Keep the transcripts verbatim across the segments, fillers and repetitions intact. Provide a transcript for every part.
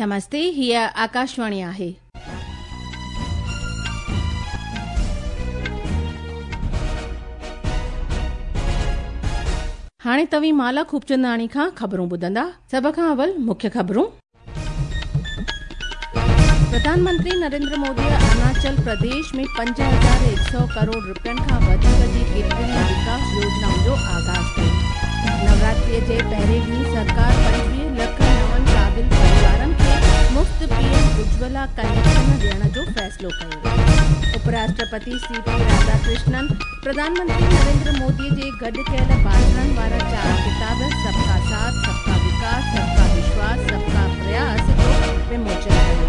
नमस्ते, हीअ आकाशवाणी आहे। हाणे तव्हीं माला खूबचंदाणी खां ख़बरूं ॿुधंदा। सभ खां अवल मुख्य ख़बरूं। प्रधानमंत्री नरेंद्र मोदी अरुणाचल प्रदेश में पंज हज़ार हिकु सौ करोड़ रुपयनि खां वधीक जी केतिरनि विकास योजनाउनि जो आगाज़ कयो। नवरात्रीअ जे पहिरें ॾींहुं सरकार पंजवीह लख नवनि क़ाबिल परिवारनि खे मुफ़्त पीएम उज्ज्वला कनेक्शन ॾियण जो फ़ैसिलो कयो। उपराष्ट्रपति सी पी राधाकृष्णन प्रधानमंत्री नरेंद्र मोदी जे गॾु कयल भाषणनि वारा चारि किताब सबका साथ, सबका विकास, सबका विश्वास, सबका प्रयास जो विमोचन कयो।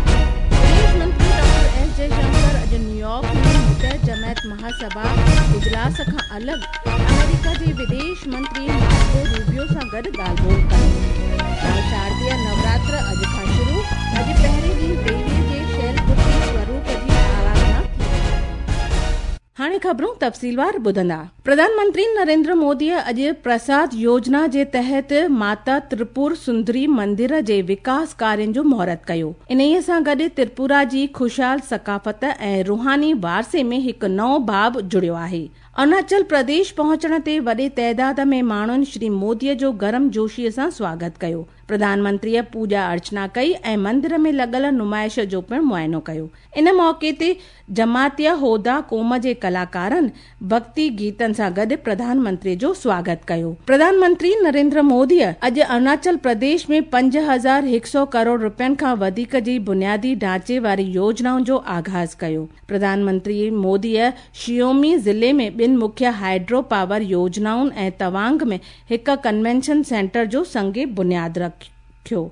विदेश मंत्री डॉक्टर एस जयशंकर अॼु न्यूयॉर्क में मुतहद जमायत महासभा इजलास खां अलॻि अमेरिका जे विदेश मंत्री मार्को रूबियो सां गॾु ॻाल्हि ॿोल कई। शारदीय नवरात्र अॼु खां शुरू, अॼु पहिरें ॾींहुं देवीअ जे शैलपुत्री स्वरूप जी आराधना थी। हाणे ख़बरूं तफ़सीलवार ॿुधंदा। प्रधानमंत्री नरेंद्र मोदी अॼु प्रसाद योजना जे तहत माता त्रिपुर सुंदरी मंदिर जे विकास कार्यनि जो मुहूर्त कयो। इन्हीअ सां गॾु त्रिपुरा जी ख़ुशहाल सकाफ़त ऐं रूहानी वारसे में हिकु नओं बाब जुड़ियो आहे। अरुणाचल प्रदेश पहुचण ते वॾे तइदाद में माण्हुनि श्री मोदीअ जो गरम जोशीअ सां स्वागत कयो। प्रधानमंत्रीअ पूॼा अर्चना कई ऐं मंदिर में लॻल नुमाइश जो पिणु मुआइनो कयो। इन मौक़े ते जमातिया होदा क़ौम जे कलाकारनि भक्ति गीतनि सां गॾु प्रधानमंत्रीअ जो स्वागत कयो। प्रधानमंत्री नरेंद्र मोदीअ अॼु अरुणाचल प्रदेश में पंज हज़ार हिकु सौ करोड़ रुपयनि खां वधीक जी बुनियादी ढांचे वारी योजनाउनि जो आगाज़ कयो। प्रधानमंत्री मोदीअ शियोमी ज़िले में ॿिनि मुख्य हाइड्रो पावर योजनाउनि ऐं तवांग में हिकु कन्वेंशन सेंटर जो संग बुनियाद रखियो।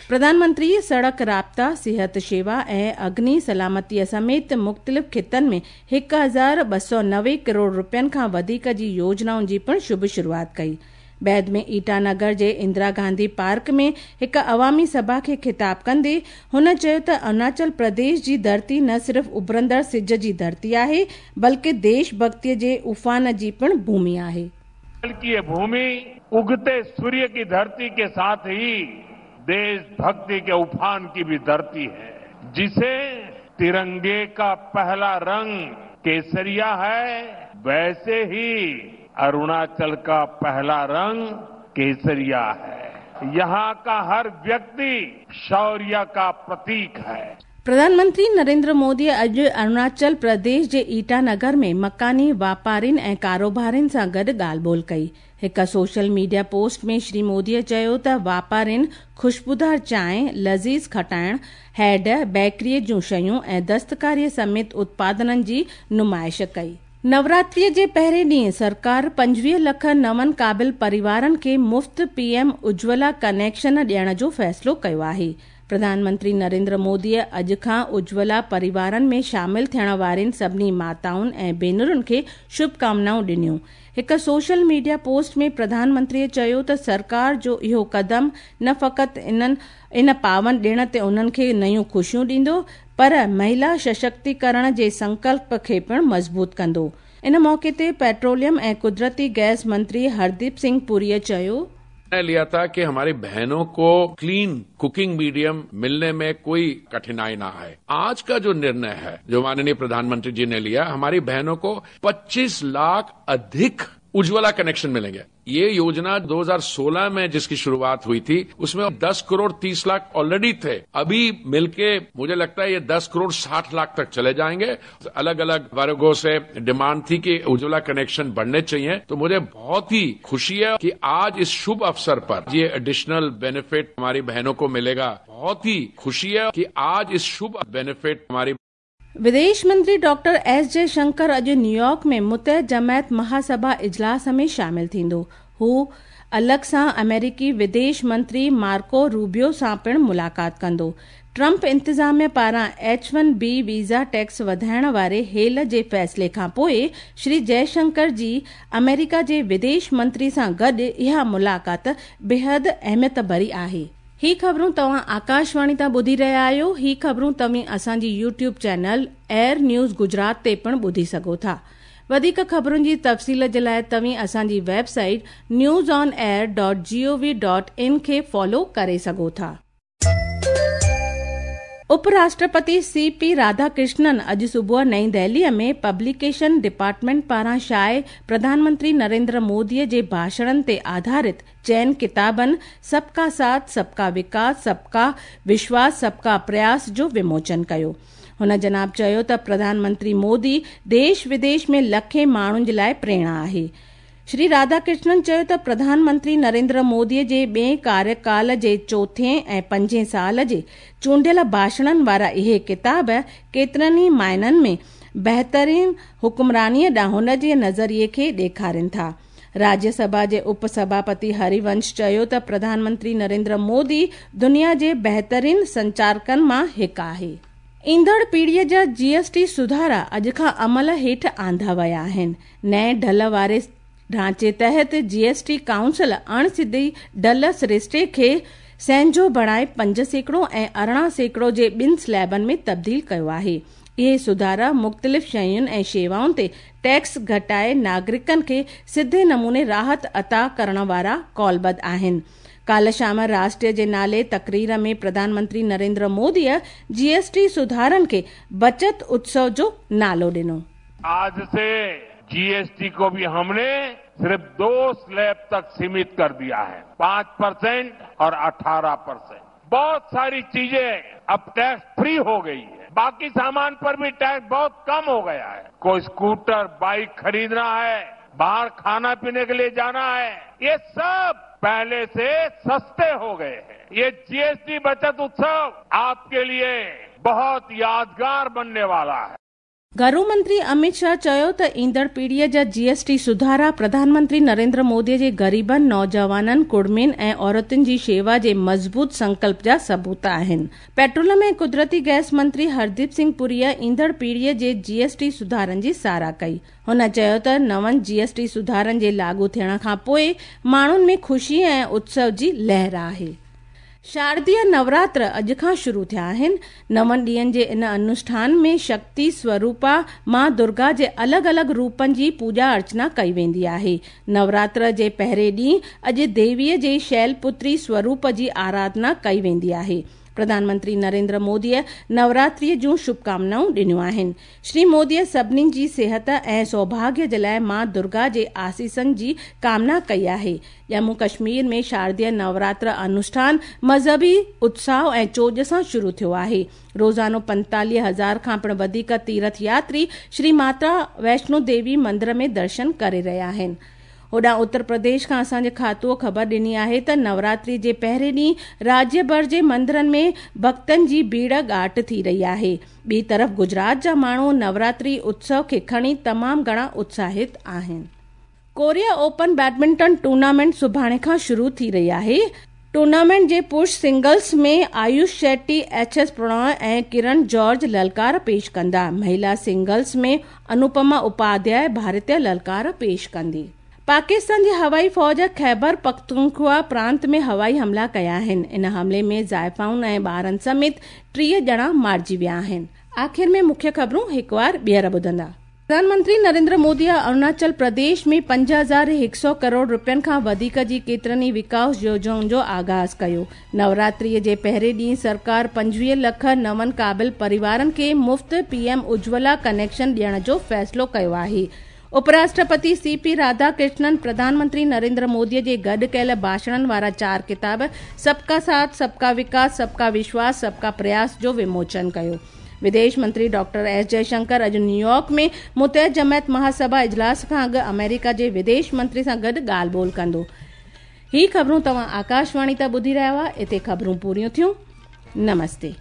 प्रधानमंत्री सड़क राब्ता, सिहत शेवा ऐं अग्नि सलामतीअ समेत मुख़्तलिफ़ ख़ितनि में हिकु हज़ार ॿ सौ नवे करोड़ रुपयनि खां वधीक जी योजनाउनि जी पिणु शुभ शुरूआत कई। बाद में ईटानगर जे इंदिरा गांधी पार्क में हिकु अवामी सभा खे ख़िताब कंदे हुन चयो त अरुणाचल प्रदेश जी धरती न सिर्फ़ उभरंदड़ सिज जी धरती आहे बल्कि देशभक्तिअ जे उफान जी पिणु भूमि आहे। ये भूमि उगते सूर्य की धरती के साथ ही देशभक्ति के उफान की भी धरती है, जिसे तिरंगे का पहला रंग केसरिया है, वैसे ही अरुणाचल का पहला रंग केसरिया है। यहाँ का हर व्यक्ति शौर्य का प्रतीक है। प्रधानमंत्री नरेंद्र मोदी अॼु अरुणाचल प्रदेश जे ईटानगर में मकानी वापारियुनि ऐं कारोबारियुनि सां गॾु ॻाल्हि ॿोल कई। हिकु सोशल मीडिया पोस्ट में श्री मोदीअ चयो त वापारियुनि ख़ुशबूदार चांहि, लज़ीज़ खटाइण, हेड, बेकरीअ जूं शयूं ऐं दस्तकारीअ समेत उत्पादननि जी नुमाइश कई। नवरात्रीअ जे पहिरें ॾींहुं सरकार पंजवीह लख नवनि क़ाबिल परिवारनि खे मुफ़्त पीएम उज्ज्वला कनेक्शन ॾियण जो फ़ैसिलो कयो आहे। प्रधानमंत्री नरेंद्र मोदीअ अॼु खां उज्ज्वला परिवारनि में शामिल थियण वारनि सभिनी माताउनि ऐं भेनरुनि खे शुभकामनाऊं ॾिनियूं। हिकु सोशल मीडिया पोस्ट में प्रधानमंत्रीअ चयो त सरकार जो इहो क़दम न फ़क़ति इन्हनि इन पावन ॾिण ते उन्हनि खे नयूं ख़ुशियूं ॾींदो पर महिला सशक्तिकरण जे संकल्प खे पिणु मज़बूत कंदो। इन मौक़े ते पेट्रोलियम ऐं कुदरती गैस मंत्री हरदीप सिंह पुरीअ चयो, निर्णय लिया था कि हमारी बहनों को क्लीन कुकिंग मीडियम मिलने में कोई कठिनाई ना आए। आज का जो निर्णय है जो माननीय प्रधानमंत्री जी ने लिया, हमारी बहनों को पच्चीस लाख अधिक उज्ज्वला कनेक्शन मिलेंगे। ये योजना दो हज़ार सोलह में जिसकी शुरुआत हुई थी उसमें दस करोड़ तीस लाख ऑलरेडी थे, अभी मिलके मुझे लगता है ये दस करोड़ साठ लाख तक चले जाएंगे। अलग अलग वर्गों से डिमांड थी कि उज्ज्वला कनेक्शन बढ़ने चाहिए, तो मुझे बहुत ही खुशी है कि आज इस शुभ अवसर पर ये एडिशनल बेनिफिट हमारी बहनों को मिलेगा। बहुत ही खुशी है कि आज इस शुभ बेनिफिट हमारी विदेश मंत्री डॉक्टर एस जयशंकर अॼु न्यूयॉर्क में मुतहद जमायत महासभा इजलास में शामिल थींदो। हू अलॻि सां अमेरिकी विदेश मंत्री मार्को रूबियो सां पिणु मुलाक़ात कंदो। ट्रंप इंतिज़ामिया पारां H one B visa tax वधाइण वारे हेल जे फ़ैसिले खां पोइ श्री जयशंकर जी अमेरिका जे विदेश मंत्री सां गॾु इहा मुलाक़ात बेहद अहमियत भरी आहे। ही ख़बरूं तव्हां आकाशवाणी तां ॿुधी रहिया आहियो। ही ख़बरूं तव्हीं असांजी YouTube channel Air News Gujarat ते पिणु ॿुधी सघो था। वधीक ख़बरुनि जी तफ़सील जे लाइ तव्हीं असांजी website news on air dot G O V dot in खे फॉलो करे सघो था। उपराष्ट्रपति सी पी राधाकृष्णन अॼु सुबुह नई दिल्लीअ में पब्लिकेशन डिपार्टमेंट पारां शाये प्रधानमंत्री नरेंद्र मोदीअ जे भाषणनि ते आधारित चइनि किताबनि सबका साथ सबका विकास सबका विश्वास सबका प्रयास जो विमोचन कयो। हुन जनाब चयो त प्रधानमंत्री मोदी देश विदेश में लखें माण्हुनि जे लाइ प्रेरणा आहे। श्री राधाकृष्णन चयो त प्रधानमंत्री नरेंद्र मोदीअ जे ॿिए कार्यकाल जे चोथें ऐं पंजें साल जे चूंडियल भाषणनि वारा इहे किताब केतिरनि ई मायननि में बहितरीन हुकुमरानीअ ॾांहुं हुन जे नज़रिए खे ॾेखारनि था। राज्यसभा जे उपसभापति हरिवंश चयो त प्रधानमंत्री नरेंद्र मोदी दुनिया जे बहितरीन संचारकनि मां हिकु आहे। ईंदड़ पीढ़ीअ जा जीएसटी सुधारा अॼु खां अमल हेठि आंदा विया आहिनि। नए ढल वारे ढांचे तहत जीएसटी काउंसिल अणसिधी ढल सरिश्ते खे सहंजो बणाए पंज सैकड़ो ऐं अरिड़हं सैकड़ो जे ॿिनि स्लैबनि में तब्दील कयो आहे। इहे सुधारा मुख़्तलिफ़ शयुनि ऐं शेवाउनि ते टैक्स घटाए नागरिकनि खे सिधे नमूने राहत अता करण वारा कौलबद्ध आहिनि। काल्ह शाम राष्ट्र जे नाले तकरीर में प्रधानमंत्री नरेंद्र मोदीअ जीएसटी सुधारनि खे बचत उत्सव जो नालो ॾिनो। आज से जीएसटी को भी हमने सिर्फ दो स्लैब तक सीमित कर दिया है, पांच परसेंट और अठारह परसेंट। बहुत सारी चीजें अब टैक्स फ्री हो गई है, बाकी सामान पर भी टैक्स बहुत कम हो गया है। कोई स्कूटर बाइक खरीदना है, बाहर खाना पीने के लिए जाना है, ये सब पहले से सस्ते हो गए हैं। ये जीएसटी बचत उत्सव आपके लिए बहुत यादगार बनने वाला है। घरू मंत्री अमित शाह चयो त ईंदड़ पीढ़ीअ जा जीएसटी सुधारा प्रधानमंत्री नरेंद्र मोदीअ जे ग़रीबनि, नौजवाननि, कुड़मियुनि ऐं औरतुनि जी शेवा जे मज़बूत संकल्प जा सबूत आहिनि। पेट्रोलियम ऐं कुदरती गैस मंत्री हरदीप सिंह पुरीअ ईंदड़ पीढ़ीअ जे जीएसटी सुधारनि जी सराह कई। हुन चयो त नवनि जीएसटी सुधारनि जे लागू थियण खां पोइ माण्हुनि में ख़ुशी ऐं उत्सव जी लहर आहे। शारदीय नवरात्र अॼु खां शुरू थिया आहिनि। नवनि ॾींहंनि जे इन अनुष्ठान में शक्ति स्वरूपा मां दुर्गा जे अलॻि अलॻि रूपनि जी पूॼा अर्चना कई वेंदी आहे। नवरात्र जे पहिरें ॾींहुं अॼु देवीअ जे शैलपुत्री स्वरूप जी आराधना कई वेंदी आहे। प्रधानमंत्री नरेंद्र मोदीअ नवरात्रीअ जूं शुभकामनाऊं ॾिनियूं आहिनि। श्री मोदीअ सभिनी जी सिहत ऐं सौभाग्य जे लाइ मां दुर्गा जे आसीसनि जी कामना कई आहे। जम्मू कश्मीर में शारदीय नवरात्र अनुष्ठान मज़हबी उत्साह ऐं चोॼ सां शुरू थियो आहे। रोज़ानो पंतालीह हज़ार खां पिणु वधीक तीर्थ यात्री श्री माता वैष्णो देवी मंदिर में दर्शन करे रहिया आहिनि। होॾां उत्तर प्रदेश खां असांजे खातूअ ख़बर ॾिनी आहे त नवरात्रि जे पहिरें ॾींहुं राज्य भर जे मंदिरनि में भक्तनि जी भीड़ ॻाट थी रही आहे। ॿी तरफ़ गुजरात जा माण्हू नवरात्रि उत्सव खे खणी तमामु घणा उत्साहित आहिनि। कोरिया ओपन बैडमिंटन टूर्नामेंट सुभाणे खां शुरू थी रही आहे। टूर्नामेंट जे पुरुष singles में आयुष शेट्टी, एच एस प्रणय ऐं किरण जॉर्ज ललकार पेश कंदा। महिला सिंगल्स में अनुपमा उपाध्याय भारतीय ललकार पेश कंदी। पाकिस्तान जी हवाई फ़ौज ख़ैबर पख्तूनख्वा प्रांत में हवाई हमला कया आहिनि। इन हमले में ज़ाइफ़ाउनि ऐं ॿारनि समेत टीह ॼणा मारिजी विया आहिनि। आख़िर में मुख्य ख़बरूं हिकु वार ॿीहर ॿुधंदा। प्रधानमंत्री नरेंद्र मोदी अरुणाचल प्रदेश में पंज हज़ार हिकु सौ करोड़ रुपयनि खां वधीक जी केतिरनि ई विकास योजनाउनि जो आगाज़ कयो। नवरात्रीअ जे पहिरें ॾींहुं सरकार पंजवीह लख नवनि क़ाबिल परिवारनि खे मुफ़्त पीएम उज्ज्वला कनेक्शन ॾियण जो फ़ैसिलो कयो आहे। उपराष्ट्रपति सी पी राधाकृष्णन प्रधानमंत्री नरेंद्र मोदी जे गॾु कयल भाषणनि वारा चार किताब सबका साथ सबका विकास सबका विश्वास सबका प्रयास जो विमोचन कयो। विदेश मंत्री डॉक्टर एस जयशंकर अॼु न्यूयॉर्क में मुतहद जमायत महासभा इजलास खां अॻु अमेरिका जे विदेश मंत्री सां गॾु ॻाल्हि ॿोल कंदो। ही ख़बरूं तव्हां आकाशवाणी तां ॿुधी रहिया हुआ। हिते ख़बरूं पूरियूं थियूं। नमस्ते।